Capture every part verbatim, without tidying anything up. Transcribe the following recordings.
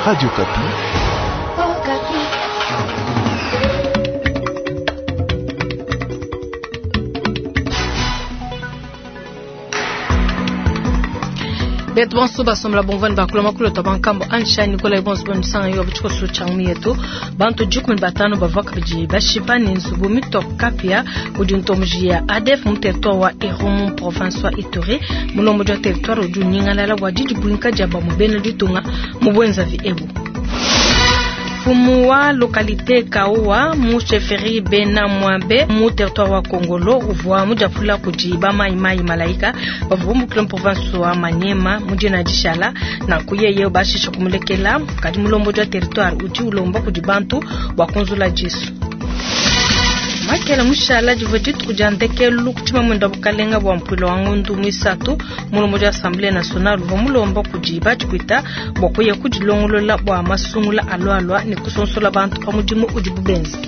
Radio Okapi. Betu bonso basomla bomvani bakula makulu to bankambo ansha Nicolas bonso bonisanga yo butiko changu yetu bantu jukumi batano bavua kabidi bashipa ni nzubu mitoka kudi ntomuji ya A D F mu territoire wa Irumu province wa Ituri mulombo wa territoire udi nyingalala wa didi buinka jaba mu bena ditunga mu bwenzavi ebu. Fumu wa localité Kaoua mu chefferie Bena Mwambe mu territoire wa Kongolo uvua mujapula kudi ba mai mai malaika bavua mu province wa Maniema mujina dishala na kuyeye bashisha kumulekela kadi mulombo wa territoire udi ulomba kudi bantu bwa kunzula jisu. Makela mushala divua dituku dia ndekelu kutima mwenda bukalenga bwa mpwilo wa ngundu mwisatu mulombo wa Assemblée nationale uvua mulomba kudi batshikuita bwa kuya kudilongolola bwa masungula alwalwa ne kusonsola bantu pa mudimu udi bubenzi.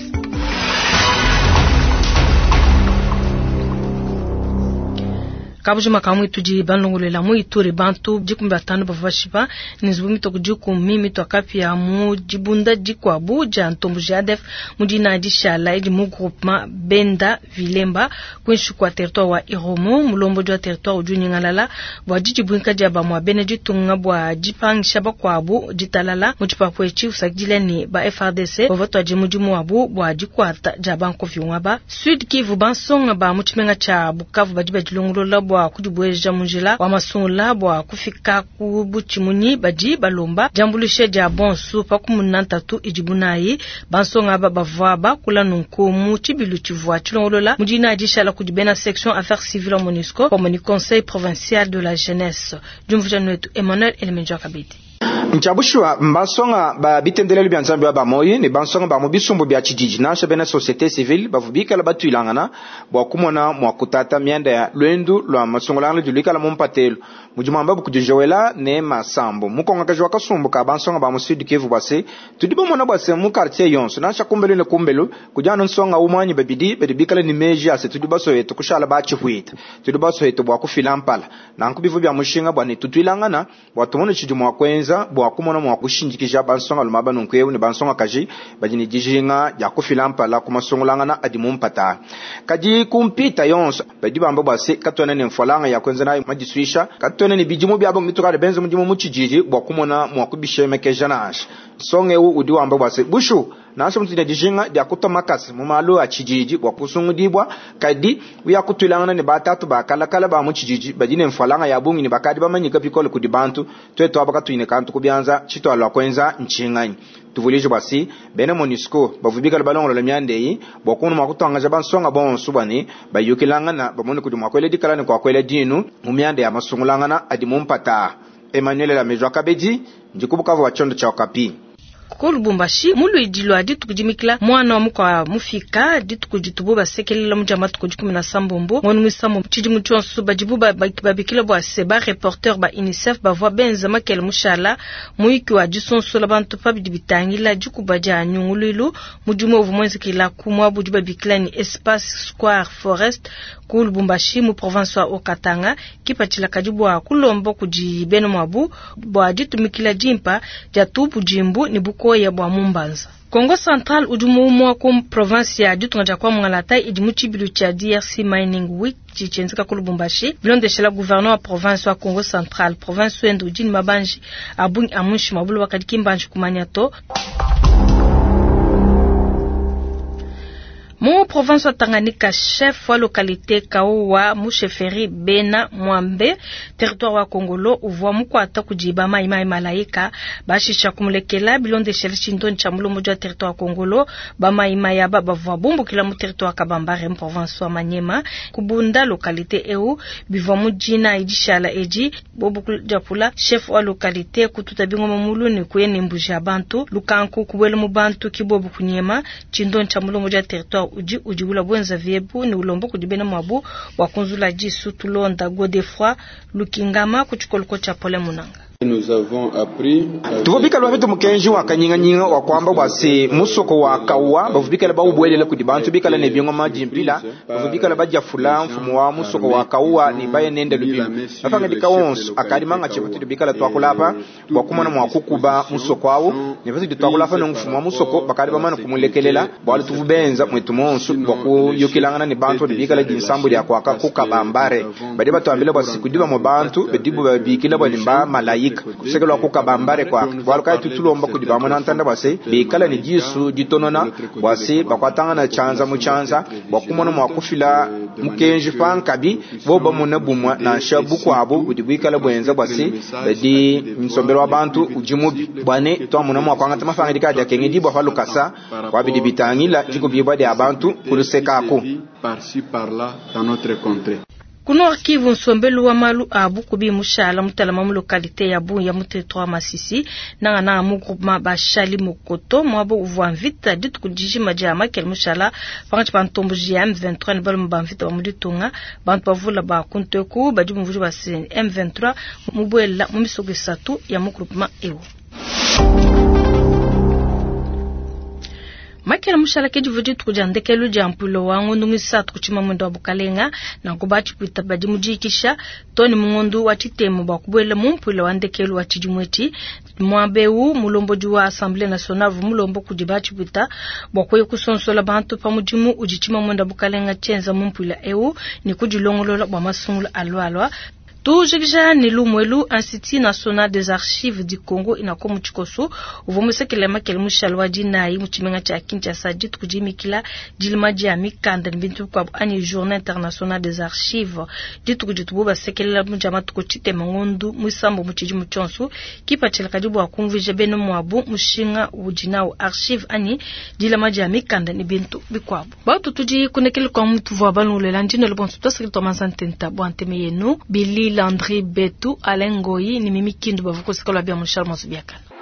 Kabujima kamwe tudi banlongolela mu Ituri bantu dikumi batano bavua bashipa ne nzubu mitoko dikumi mitwakapia mu dibunda dikuabu dia ntombo ja A D F mu dina dishala edi mu groupement Benda Vilemba kuinshi kwa territoire wa Irumu mulombo wa territoire udi nyingalala bwa didibwinka dia bamwa bena ditunga bwa dipangisha bakwabu ditalala mu tshipapu etshi usakidila ne ba F R D C bavua tuadi mudimu wabu bwa dikuata dia bankovi ngaba Sud Kivu bansonga ba mu tshimenga tshia Bukavu badi badilongolola bwa kudibweja munjila wa masungula bwa kufika ku buchimunyi badi balomba jambulishe dia bonsu pa kumuna ntatu idibunayi bansonga ba bavua bakula nunku mu tshibilu tshivua tshilongolola mudina dishala kudi bena section affaires civiles MONUSCO pamue ne conseil provincial de la jeunesse diumvuja netu Emmanuel Elemenjo Kabidi. Nchabushwa mbasonga ba bitendelelo bya Nzambi ba moyi ne bansonga ba mu bisumbu bya tshididi nansha bena société civile bavubikala batuilangana bwa kumona mwa kutata mianda ya lwendu lwa masungulano diluikala mu mpatelo mujimamba bukudijowela ne masambo mukonga kajwa kasumbu ka bansonga ba mu Sud Kivu bwase tudi bomona bwase mu quartier yonso nansha kumbelu ne kumbelu kujana nsonga umwanyi babidi bedibikala ni meji ase tudi basoyetu kushala ba tshihwita tudi basoyetu bwa kufila mpala nanku bivu bya mushinga bwa ne tutuilangana bwa tumone tshidi mwa kwenza bwa kumona mwa kushindikija bansonga lumaba nunku ne bansonga kaji badi ne dijinga dia kufila mpala ku masungulangana adi mu mpata kadi kumpita yonso badi bamba bwase katwene ne mfwalanga ya kwenza nayo madiswisha katwene ne bidimu byabo mitukale benze mudimu mu tshididi bwa kumona mwa kubishemekeja nansha nsonga ewu udi wamba bwase bushu nansha mutudi ne dijinga dia kutwa makasi mu malu a tshididi bwa kusungudibwa kadi uya kutwilangana ne batatu bakalakala ba mu tshididi badi ne mfwalanga ya bungi ne bakadi bamanyika bikole kudi bantu twetu aba katuine kantu kubyanza tshitwalwa kwenza ntshinganye tuvulije bwasi bena MONUSCO bavubikala balongolola miandeyi bwa kunu mwa kutangaja bansonga bonso bwani bayukilangana bamone kudi mwa kwela dikala ne kwa kwela dinu mu mianda ya masungulangana adi mu mpata. Emmanuel Lamejwa Kabedi ndikubukavu wa chondo cha Okapi. Ko Lubumbashi muluidi lwa dituku dimikila mwana wa mukwa mufika dituku ditubu basekelela mujama tuku dikumi na sambombo ngonu mwisambo tshidimu tshionso badibu babikila bwa se ba reporter ba UNICEF bavua benza makele mushala muyiki wa disonsola bantu pa bidi bitangila dikuba dia nyunguluilu mudimu uvua muenzekela ku muabu udi babikila ni espace square forest ku Lubumbashi mu province wa Okatanga kipatshila kadi bua kulomba kudi bena muabu bua ditumikila dimpa dia tubu jimbu ne bukoya bwa mumbanza. Kongo Central udi mu ku province ya ditunga dia kwa Mwangalata idi mu tshibilu tshia D R C Mining Week tshitshienzeka ku Lubumbashi bilondeshela gouverneur wa province wa Kongo Central province wende udi ne mabanji abungi a munshi mabulu wakadi kimbanji kumanya to. Mu province wa Tanganyika chef wa localité Kaoua mu chefferie Bena Mwambe territoire wa Kongolo uvua mukwata kujiba mai mai malaika bashisha kumulekela bilondeshela chindoni cha mulombo wa territoire wa Kongolo ba mai mai aba bavua bumbukila mu territoire Kabambare mu province wa Maniema kubunda localité eu bivua mujina idishala eji bobu japula chef wa localité kututa bingoma muluni kuyene mbuja bantu lukanku kubwela mu bantu kibobu kunyema chindoni cha mulombo wa territoire udi udi ula bwenza viebu ni ulombo kudibena mwabu wa kunzula jisu tulonda Godefroy Lukingama kuchikoloko cha Pole Munanga. Tuvua bikale bapete mukenji wa kanyinganyinga wa kuamba bua se musoko wa Kawa bavua bikale bawubuelela kudi bantu bikale ne bingoma dimpila, bavua bikale badiafula mfumu wa musoko wa Kawa ne baye nende lubilu. Mapangadika wonso akadi mangatshi patudi bikale tuakula apa bua kumona mua kukuba musoko awu, ne patudi tuakula apa ne mfumu wa musoko bakadi bamane kumulekelela bualu tuvua benza mwetu monso bua kuyukilangana ne bantu badi bikale dinsambu dia kuaka ku Kabambare. Badi batuambila bua se kudi bamue bantu badibu babikila bua ne mba malayika kusekelwa ku Kabambare kwa bualu kayi tutulomba kudi bamona ntanda bua se bikale ne disu ditonona bua se bakuatangana tshianza mu tshianza bua kumona mua kufila mukenji pankabi bo bamona bumwa nansha bukuabu budi buikala buenza bua se badi nsombelo wa bantu udi mubi bua ne twamona mua kuangata mapangadika adi akengedibua pa lukasa bua bidi bitangila dikubibua dia bantu kulusekako. Par-ci par-là dans notre contrée. Ku Nord Kivu, nsombelu wa malu a bukubi mushala mutalama mu localité ya Bunia mu territoire Masisi nanga nanga mu groupement Bashali Mokoto mwabo uvua mvita dituku dijima dia makele mushala pankatshi pa ntomboji ya M vingt-trois ne balume ba mvita ba mu ditunga. Bantu bavula ba kunteku badi bumvuija ba se M vingt-trois mubuela mu misoko isatu ya mu groupement eu. Makela mushala ke divu dituku dia ndekelu dia mpuilo wa ngondu muisatu ku tshimamwendo wa bukalenga nanku batshipwita badi mudikisha toni mu ngondu wa tshitemu bua kubuela mu mpuilo wa ndekelu wa tshidimu etshi. Muaba eu mulombodi wa Assemblée nationale uvua mulomba kudi batshipwita bua kuya kusonsola bantu pa mudimu udi tshimamwendo wa bukalenga tshienza mu mpuilo eu ne kudilongolola bua masungula alualua. Tujikija ne lumwelu Institut National des Archives du Congo inako mu tshikoso uvua musekele makele mushalo wa dinayi mu tshimenga tshia Kinshasa dituku dimikila dilima dia mikanda ne bintu bikuabu anyi Journée Internationale des Archives dituku ditubu basekelela mu dia matuku tshitema ngondu muisambo mu tshidimu tshionso kipatshila kadi bua kumvuija bena muabu mushinga udi nawu archive anyi dilama dia mikanda ne bintu bikuabu. Batu tudi kunekele kwa mutu vua balongolela ndino lebonso twasekele twa manzantenta bua nteme yenu Billy Landry Betu, Alain Ngoyi ni Mimi Kindu bavuko sekolo bia Mushal Masubiakana.